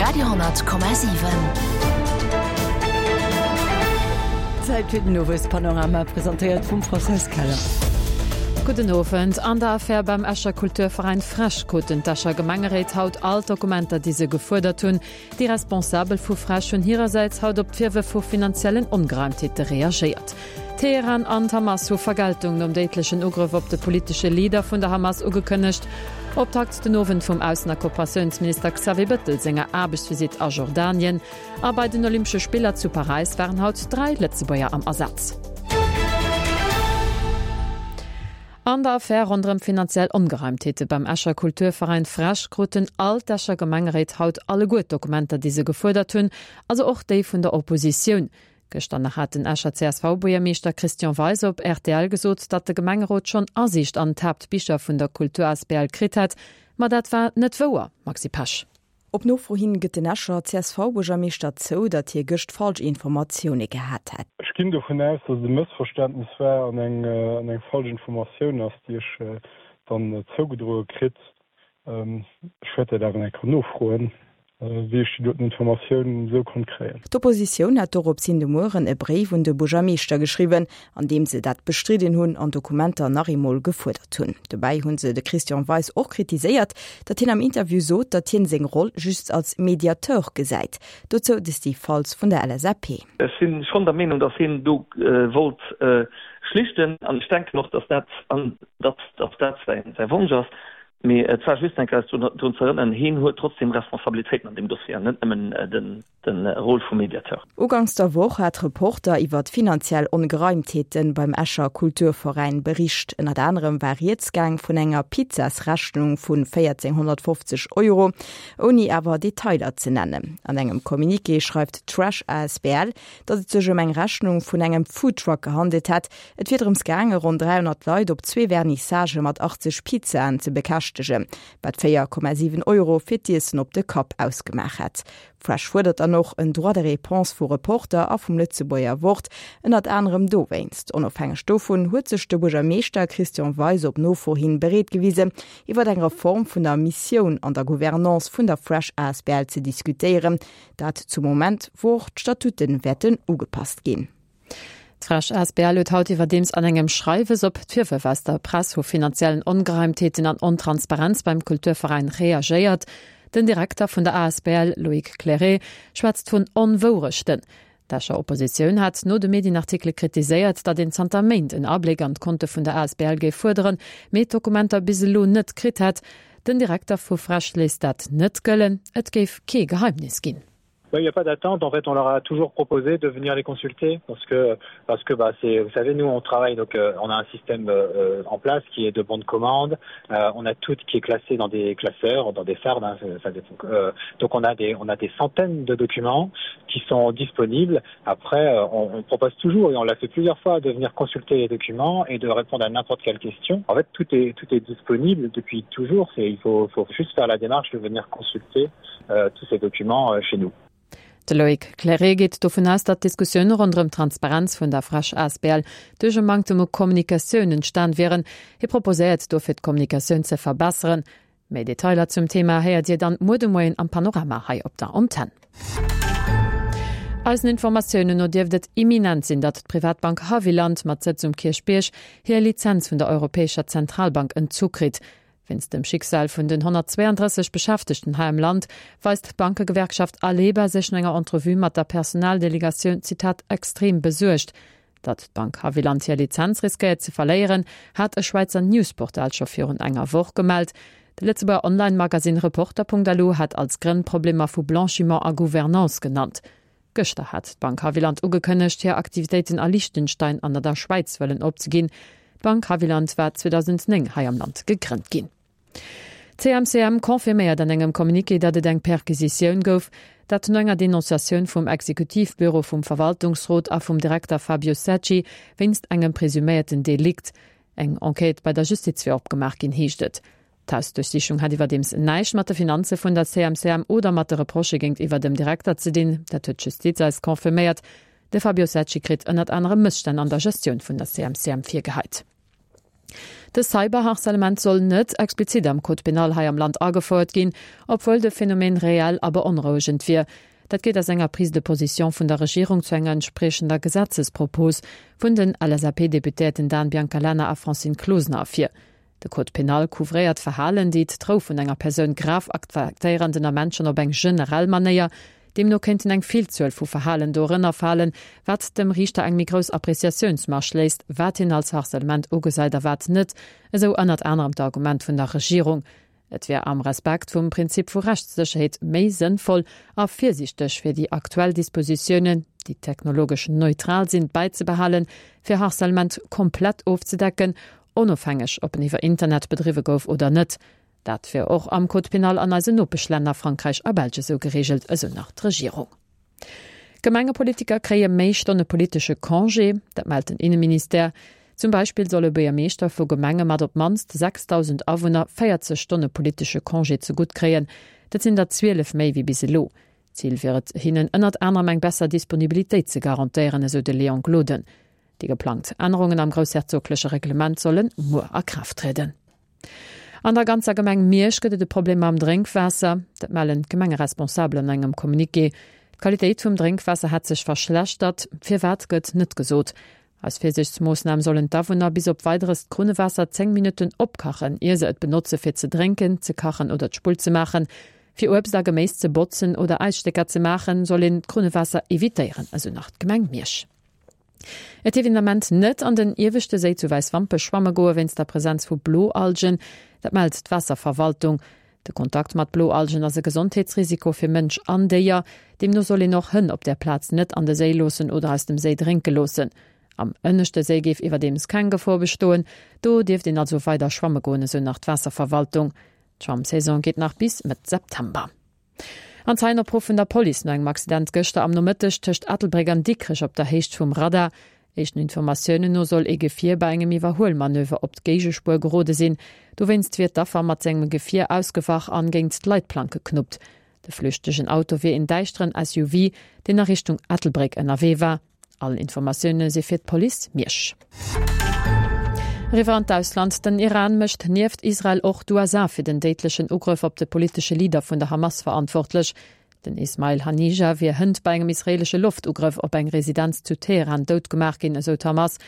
Radio,7. Zäit fir den Owespanorama, presentéiert vum Françoise Keller. Gudden Owend. An der Affär beim Escher Kulturveräin Fresch kruten d'Escher Gemengeréit haut all d'Dokumenter, déi se gefuerdert hunn. Déi Responsabel vu Fresch hunn hirersäits haut op d'Virwërf vu finanziellen Ongereimtheete reagéiert. Teheran an d'Hamas hu Vergeltung nom déidlechen Ugrëff op de politesche Leader vun der Hamas ugekënnegt. Optakt den Owend vum Aussen a Kooperatiounsminister Xavier Bëttel senger Aarbechtsvisitt a Jordanien. A bei den Olympesche Spiller zu Paräis waren haut 3 Lëtzebuerger am Asaz. An der Affär ronderëm finanziell Ongereimtheete beim Escher Kulturveräin Fresch kruten all d'Escher Gemengeréit haut alleguer d'Dokumenter, déi se gefuerdert hunn, also och déi vun der Oppositioun. Gëschter nach hat den Escher CSV-Buergermeeschter Christian Weis op rtl gesot, datt de Gemengerot schonn Asiicht an d'Haaptbicher vun der Kultur asbl kritt hätt. Ma dat war net wouer, Maxi Pesch. Op Nofro hin gëtt den Escher CSV-Buergermeeschter zou, datt hie gëscht falsch Informatioune gehat hätt. Ech ginn dovun aus, datt et e Mëssverständnis war an eng falsch Informatioun ass, déi ech dann zougedroe kritt. Ech wäert dat awer nach eng Kéier nofroen, wéi ech déi doten Informatioun esou konnt kréien. D'Oppositioun hat dorops hin de Mueren e Bréif un de Buergermeeschter geschriwwen, an deem se dat bestridden hunn an Dokumenter nach eemol gefuerdert hunn. Dobäi hu se de Christian Weis och kritiséiert, datt hien am Interview sot, datt hien seng Roll just als Mediateur gesäit. Dozou de Steve Faltz vun der LSAP. Ech si schonn der Meenung, datt hien do wollt schlichten an ech denken och, datt dat datt dat säi Wonsch ass. Mee et war just eng Kéier eis drun ze erënneren, heen huet trotzdem Responsabilitéiten an deem Dossier an net nëmmen de Rôle vum Mediateur. Uganks der Woch hat Reporter iwwert finanziell Ongereimtheete beim Escher Kulturveräin bericht. Ënnert anerem war rieds gaang vun enger Pizzasrechnung vu 1.450 Euro, ouni awer Detailer ze nennen. An engem Communiqué schreift d'Fresh asbl, datt et sech ëm eng Rechnung vun engem Foodtruck gehandelt hätt, Et wier drëms gaange ronn 300 Leit op zwee Vernissagë mat 80 Pizzaen ze bekäschtegen, wat 4,7 Euro fir d'Iessen op de Kapp ausgemaach hätt. Fresh fuerdert dann och en Droit de réponse vu Reporter a vum Lëtzebuerger Wort, ënnert anerem dowéinst. Onofhängeg dovun huet sech de Buergermeeschter Christian Weis op Nofro hin bereet gewisen, iwwer eng Reform vun der Missioun an der Gouvernance vun der Fresh asbl ze diskutéieren, dat zum Moment, wou och d'Statute wäerten ugepasst ginn. D'Fresh asbl huet haut iwwerdeems an engem Schreiwes op d'Virwërf aus der Press vu finanziellen Ongereimtheeten an Ontransparenz beim Kulturveräin reagéiert. Den Direkter vun der asbl, Loïc Clairet, schwätzt vun Onwourechten. D'Escher Oppositioun hat no de Medienartikele kritiséiert, datt een zanter Méint en Abléck an d'Konte vun der asbl géif fuerderen, mee d'Dokumenter bis elo net kritt hätt. Den Direkter vu Fresh léisst dat net gëllen, et géif kee Geheimnis ginn. Il n'y a pas d'attente en fait on leur a toujours proposé de venir les consulter parce que parce que bah c'est vous savez nous on travaille donc euh, on a un système euh, en place qui est de bons de commande euh, on a tout qui est classé dans des classeurs dans des fardes hein, ça, ça, euh, donc on a des on a des centaines de documents qui sont disponibles après euh, on, on propose toujours et on l'a fait plusieurs fois de venir consulter les documents et de répondre à n'importe quelle question en fait tout est tout est disponible depuis toujours c'est il faut, faut juste faire la démarche de venir consulter euh, tous ces documents euh, chez nous. De Loïc Clairet geet dovun aus, datt d'Diskussioune ronderëm d'Transparenz vun der Fresch asbl duerch e Manktem u Kommunikatioun entstan wieren. Hie proposéiert dofir d'Kommunikatioun ze verbesseren. Méi Detailer zum Thema héiert Dir dann muer de Moien am Panorama hei op der Antenn. Eisen Informatiounen no dierft et imminent sinn, datt d'Privatbank Haviland mat Sëtz um Kierchbierg hir Lizenz vun der Europäescher Zentralbank entzu kritt. Wéinst dem Schicksal vun den 132 Beschäftegten hei am Land weist d'Bankegewerkschaft Aleba sech no enger Entrevue mat der Personaldelegatioun, Zitat, extrem besuergt. Datt d'Bank Haviland hir Lizenz riskéiert ze verléieren, hat e Schwäizer Newsportal scho virun enger Woch gemellt. De Lëtzebuerger Online-Magasinn Reporter.lu hat als Grënn Problemer vu Blanchiment a Gouvernance genannt. Gëschter hat d'Bank Haviland ugekënnegt, hir Aktivitéiten a Liechtenstein an a der Schwäiz wëllen opzeginn. D'Bank Haviland war 2009 hei am Land gegrënnt ginn. D'CMCM confirméiert an engem Communiqué, datt et eng Perquisitioun gouf, dat no enger Denonciatioun vum Exekutivbüro vum Verwaltungsrot a vum Direkter Fabio Secci wéinst engem presuméierten Delikt. Eng Enquête bei der Justiz wier opgemaach ginn, heescht et. D'Hausduerchsichung hätt iwwerdeems näischt mat de Finanze vun der CMCM oder mat de Reprochë géintiwwer dem Direkter ze dinn. Dat huet d'Justiz eis confirméiert. De Fabio Secci kritt ënnert anerem Mësstänn an der Gestioun vun der CMCM virgeheit. De Cyberharcèlement soll net explizit am Code pénal hei am Land agefouert ginn, obwuel de Phänomen reell a beonrouegend wier. Dat geet aus enger Prise de position vun der Regierung zu enger entspriechender Gesetzespropos vun den LSAP-Deputéierten Dan Biancalana a Francine Closener ervir. De Code pénal couvréiert Verhalen, déi d'Rou vun enger Persoun grav affektéieren, den Ament schonn op eng generell Manéier. Deemno kéinten eng Villzuel vu Verhalen dorënner falen, wat dem Riichter eng méi grouss Appreciatiounsmarge léisst, wat hien als Harcèlement ugesäit a wat net, esou ënnert anerem d'Argument vun der Regierung. Et wär am Respekt vum Prinzip vu Rechtssécherheet méi sënnvoll a virsiichteg, fir déi aktuell Dispositiounen, déi technologesch neutral sinn, bäizebehalen, fir Harcèlement komplett ofzedecken, onofhängeg ob en iwwer Internet bedriwwe gouf oder net. Dat wier och am Code pénal an eisen Nopeschlänner Frankräich a Belsch esou gereegelt, esou nach d'Regierung. Gemengepolitiker kréie méi Stonne politesche Congé, dat mellt den Inneministère. Zum Beispill solle Buergermeeschter vu Gemenge mat op d'mannst 6.000 Awunner 40 Stonne politesche Congé zegutt kréien. Dat sinn der 12 méi wéi bis elo. Zil wier et, hinnen ënnert anerem eng besser Disponibilitéit ze garantéieren, esou de Léon Gloden. Déi geplangt Ännerungen am groussherzogleche Reglement solle muer a Kraaft trieden. An der ganzer Gemeng Miersch gëtt et e Problem mam Drénkwaasser. Dat mellen d'Gemengeresponsabel an engem Communiqué. D'Qualitéit vum Drénkwaasser hätt sech verschlechtert. Firwat gëtt net gesot. Als Virsiichtsmoossnam sollen d'Awunner bis op Weideres d'Krunnewaasser 10 Minutten opkachen, ier se et benotze fir ze drénken, ze kachen oder d'Spull ze maachen. Fir Uebst a Geméis ze botzen oder Äisstécker ze maachen, soll een d'Krunnewaasser evitéieren, esou nach d'Gemeng Miersch. Et dierf een Ament net an den ieweschte Séi zu Wäiswampech schwamme goe wéinst der Presenz vu Bloalgen. Dat mellt d'Waasserverwaltung. De Kontakt mat Bloalgen ass e Gesondheetsrisiko fir Mënsch an Déier. Deemno soll een och Hënn op där Plaz net an de Séi loossen oder aus dem Séi drénke loossen. Am ënneschte Séi géif iwwerdeems keng Gefor bestoen. Do dierft een also weider schwamme goen, esou nach d'Waasserverwaltung. D'Schwammsaison geet nach bis Mëtt September. An Zeienopruff vun der Police no engem Accident gëschter am Nomëtteg tëscht Ettelbréck an Dikrech op der Héicht vum Radar. Éischten Informatiounen no soll ee Gefier bei engem Iwwerhuelmanöver op d'Géigespuer gerode sinn. Dowéinst wier d'Affer mat sengem Gefier ausgewach an géint d'Leitplank geknuppt. De flüchtegen Auto wier een däischteren SUV, deen a Richtung Ettelbréck ënnerwee war. All Informatioune si fir d'Police Miersch. Eriwwer an d'Ausland, Den Iran mécht nieft Israel och d'USA fir den déidlechen Ugrëff op de politesche Leader vun der Hamas verantwortlech. Den Ismail Hanija wier hënt bei engem israeelesche Loftugrëff op eng Residenz zu Teheran dout gemaach ginn, esou d'Hamas.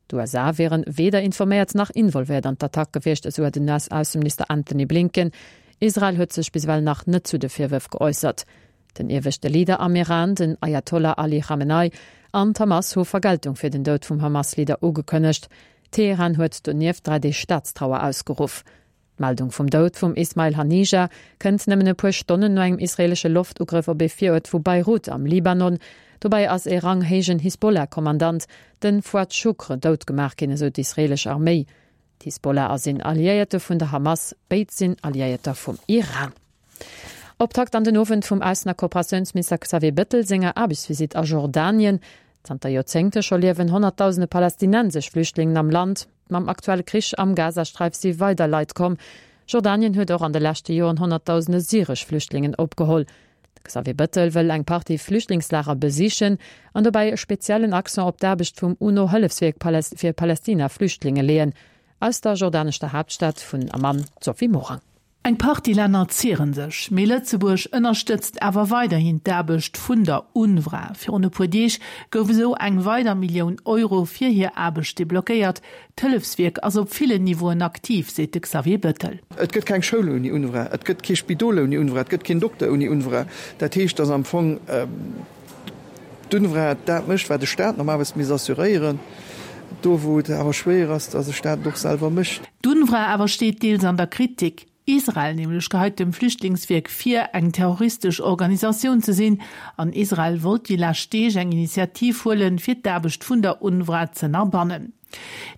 D'USA wieren weder informéiert nach involvéiert an d'Attack gewiescht, esou den US-Ausseminister Antony Blinken. Israel huet sech bis ewell nach net zu de Virwërf geäussert. Den ieweschte Leader am Iran, den Ayatollah Ali Khamenei, an d'Hamas hu Vergeltung fir den Doud vum Hamas-Leader ugekënnegt. Teheran huet donieft 3 Deeg Staatstrauer ausgeruff. D'Meldung vum Doud vum Ismail Hanija kënnt nëmmen e puer Stonnen no engem israeelesche Loftugrëff op ee Viruert vu Beirut am Libanon. Dobäi ass ee ranghéijen Hisbollah-Kommandant, den Fouad Shukr, dout gemaach ginn, esou d'israeelesch Arméi. D'Hisbollah ass een Alliéierte vun der Hamas, béid sinn Alliéierter vum Iran. Optakt an den Owend vum Aussen a Kooperatiounsminister Xavier Bettel senger Aarbechtsvisitt a Jordanien. Zanter Joerzéngte scho liewen honnertdausende palästinensesch Flüchtlingen am Land. Mam aktuelle Krich am Gazasträif si weider Leit komm. Jordanien huet och an de leschte Joren honnertdausende syresch Flüchtlingen opgeholl. De Xavier Bettel wëll eng Partie Flüchtlingslager besichen an dobäi e speziellen Accent op d'Aarbecht vum UNO-Hëllefswierk fir Palästina-Flüchtlinge leeën. Aus der jordaneschter Haaptstad vun Amman, d'Sophie Morang. Eng Partie Länner zieren sech, mee Lëtzebuerg ënnerstëtzt awer weiderhin d'Aarbecht vun der UNRWA. Virun e puer Deeg gouf esou eng weider Millioun Euro fir hir Aarbecht deblockéiert. D'Hëllefswierk ass op villen Niveauen aktiv, seet de Xavier Bettel. Et gëtt keng Schoul ouni UNRWA, et gëtt kee Spidol ouni UNRWA, et gëtt keen Dokter ouni UNRWA. Dat heescht, datt am Fong d'UNRWA dat mécht, wat e Staat normalerweis misst assuréieren, do wou et awer schwéier ass, datt e Staat et och selwer mécht. D'UNRWA awer steet deels an der Kritik. Israel nämlech geheit dem Flüchtlingswierk vir, eng terroristesch Organisatioun ze sinn. An Israel wollt déi lescht Deeg eng Initiativ huelen, fir d'Aarbecht vun der UNRWA z'ënnerbannen.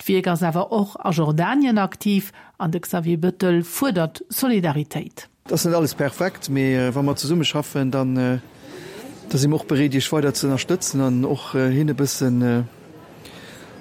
D'Wierk ass awer och a Jordanien aktiv an de Xavier Bettel fuerdert Solidaritéit. Et ass net alles perfekt, mee wa mer zesumme schaffen, dann da si mer och bereet, Iech weider ze ënnerstëtzen an och hinne bëssen.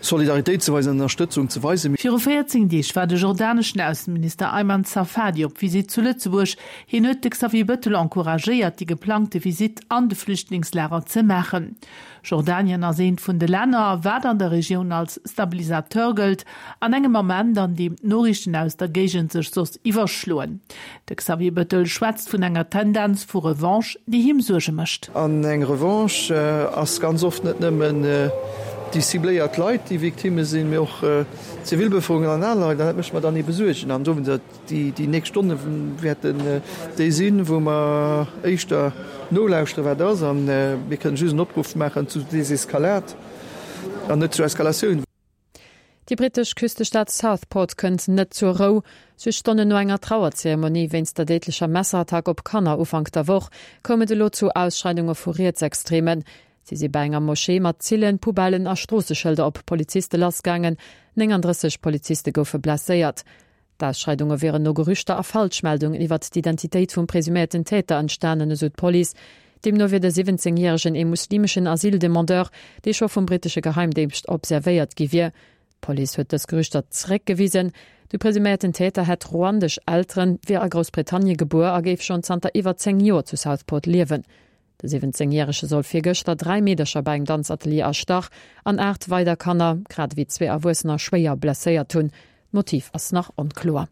Solidaritéit ze weisen, Ënnerstëtzung ze weisen. Viru 14 Deeg war de jordaneschen Ausseminister Ayman Safadi op Visitt zu Lëtzebuerg. Hien huet de Xavier Bettel encouragéiert, déi geplangte Visitt an de Flüchtlingslager ze maachen. Jordanien ass eent vun de Länner, wat an der Regioun als Stabilisateur gëllt, an engem Ament, an deem d'Noriichten aus der Géigend sech soss iwwerschloen. De Xavier Bettel schwätzt vun enger Tendenz vu Revanche, déi him Suerge mécht. An eng Revanche ass ganz oft net nëmmen déi cibléiert Leit, déi Victimme sinn, mee och d'Zivilbevëlkerung an aner Leit. An dat mécht mer dann ebe Suergen. An dowéinst, déi nächst Stonne wäerten déi sinn, wou mer éischter nolauschteren, wat ass. A mir kënnen just en Opruff maachen zu Deseskalade an net zu Eskalatioun. Déi brittesch Küstestad Southport kënnt net zur Rou. Just Stonnen no enger Trauerzeremonie wéinst der déidlecher Messerattack op Kanner Ufank der Woch koum et elo zu Ausschreidunge vu Rietsextremen. Si si bei enger Moschee mat Zillen, Poubellen a Stroosseschëlder op Poliziste lassgaangen. 39 Poliziste goufe blesséiert. D'Ausschreidunge wieren no Gerüchter a Falschmeldungen iwwert d'Identitéit vum presuméierten Täter entstanen, esou d'Police. Deemno wier de 17 Järegen ee muslimeschen Asyldemandeur, dee scho vum brittesche Geheimdéngscht observéiert gi wier. D'Police huet dës Gerüchter zeréckgewisen. De presuméierten Täter hätt ruandesch Elteren, wier a Groussbritannie gebuer a géif schonn zanter iwwer 10 Joer zu Southport liewen. De 17 Järege soll virgëschter 3 Meedercher bei engem Danzatelier erstach an 8 weider Kanner, grad ewéi zwee Erwuessener schwéier blesséiert hunn. D'Motiv ass nach onkloer.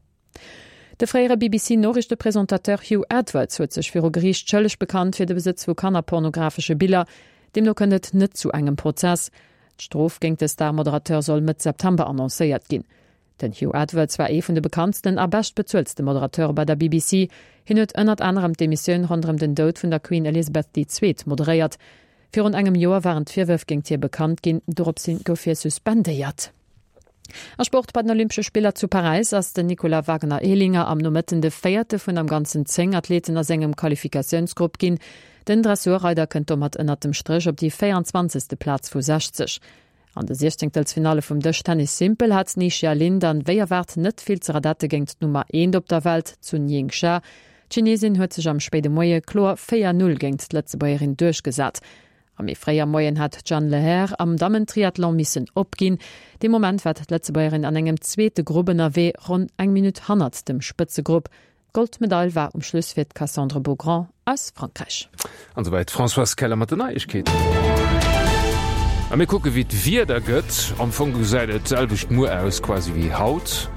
De fréiere BBC-Noriichtepresentateur Hugh Edwards huet sech viru Geriicht schëlleg bekannt fir de Besëtz vu kannerpornografesche Biller. Deemno kënnt et net zu engem Prozess. D'Strof géint de Star-Moderateur soll Mëtt September annoncéiert ginn. Den Hugh Edwards war ee vun de bekanntsten a beschtbezueltste Moderateure bei der BBC. Hien huet ënnert anerem d'Emissioun ronderëm den Doud vun der Queen Elizabeth déi Zweet moderéiert. Virun engem Joer waren d'Virwërf géint hie bekannt ginn, doropshin gouf hie suspendéiert. A Sport, Bei den Olympesche Spiller zu Paräis ass den Nicolas Wagner-Ehlinger am Nomëtten de véierte vun am Ganzen 10 Athleten a sengem Qualifikatiounsgrupp ginn. Den Dressurreider kënnt domat ënnert dem Stréch op déi 24. Plaz vu 60. An de Siechzéngtelsfinalle vum Dëschtennis Simpel hat d'Ni Xia Lin dann wéi erwaart net vill ze radette géint d'Nummer eent op der Welt, d'Sun Ying Xia. D'Chinesin huet sech am spéide Moie kloer 4, 0 géint d'Lëtzebuergerin duerchgesat. A méi fréi am Moien hat d'Jeanne Lehair am Dammen-Triathlon missen opginn. Dee Moment war d'Lëtzebuergerin an engem zweete Grupp ënnerwee, ronn eng Minutt hannert dem Spëtzegrupp. D'Goldmedail war um Schluss fir d'Cassandre Beaugrand aus Frankräich. An esouwäit d'Françoise Keller mat den Neiegkeeten. A mir kucke wéi d'Wieder gëtt. Am Fong gesäit et d'selwecht muer aus quasi wéi haut.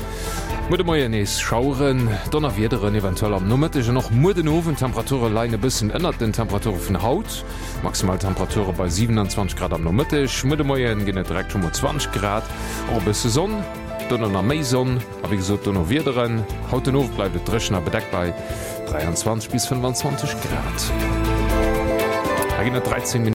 Muer de Moien nees Schaueren, Donnerwiederen eventuell am Nomëtteg an och muer den Owend. D'Temperature leien e bëssen ënnert den Temperature vun haut. Maximal Temperature bei 27 Grad am Nomëtteg. Muer de Moien ginn et direkt scho mol 20 Grad, och e bësse Sonn, dono nach méi Sonn. A wéi gesot dono Wiederen. Haut den Owend bleift et dréchen a bedeckt bei 23 bis 25 Grad. Hei ginn et 13 Minutten.